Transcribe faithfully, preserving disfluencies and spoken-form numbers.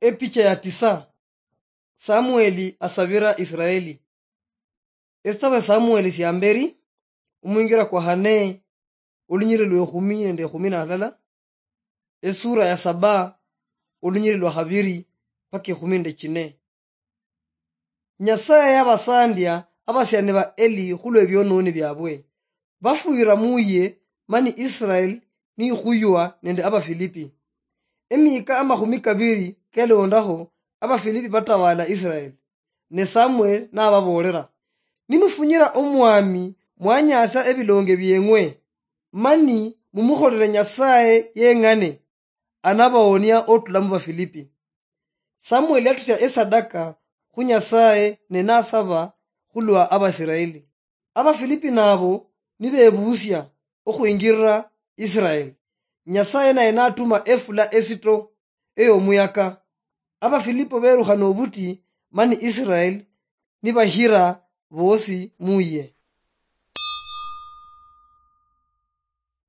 Epicha ya tisa. Samueli asabira Israeli. Esitabo ya Samueli sia mberi, omwingira kwa hane, olunyiri lwa ekhumi nende ekhumi na halala. Esura ya saba, olunyiri lwa habiri paka ekhumi nende chine. Nyasaye yabasandia abasiani ba Eli khulwa ebiononi biabwe. Bafwira muye, mani Israel nikhuywa nende Abafilipi. Emika amakhumi kabiri kelondaho, Abafilipi batawala Israel. Ne Samuel nababoolera, "Nimufunyira Omwami mwanyasia ebilonge bieng'we, mani mumukholere Nyasaye yeng'ane, anabaonia otula mu Bafilipi." Samuel yatusia esadaka khu Nyasaye ne nasaba khulwa Abaisiraeli. Abafilipi nabo nibebusia okhwingirira Israel. Nyasaye naye natuma efula esito ey'omuyaka. Abafilipi berukha nobuti, mani Israel nibahira bosi muye.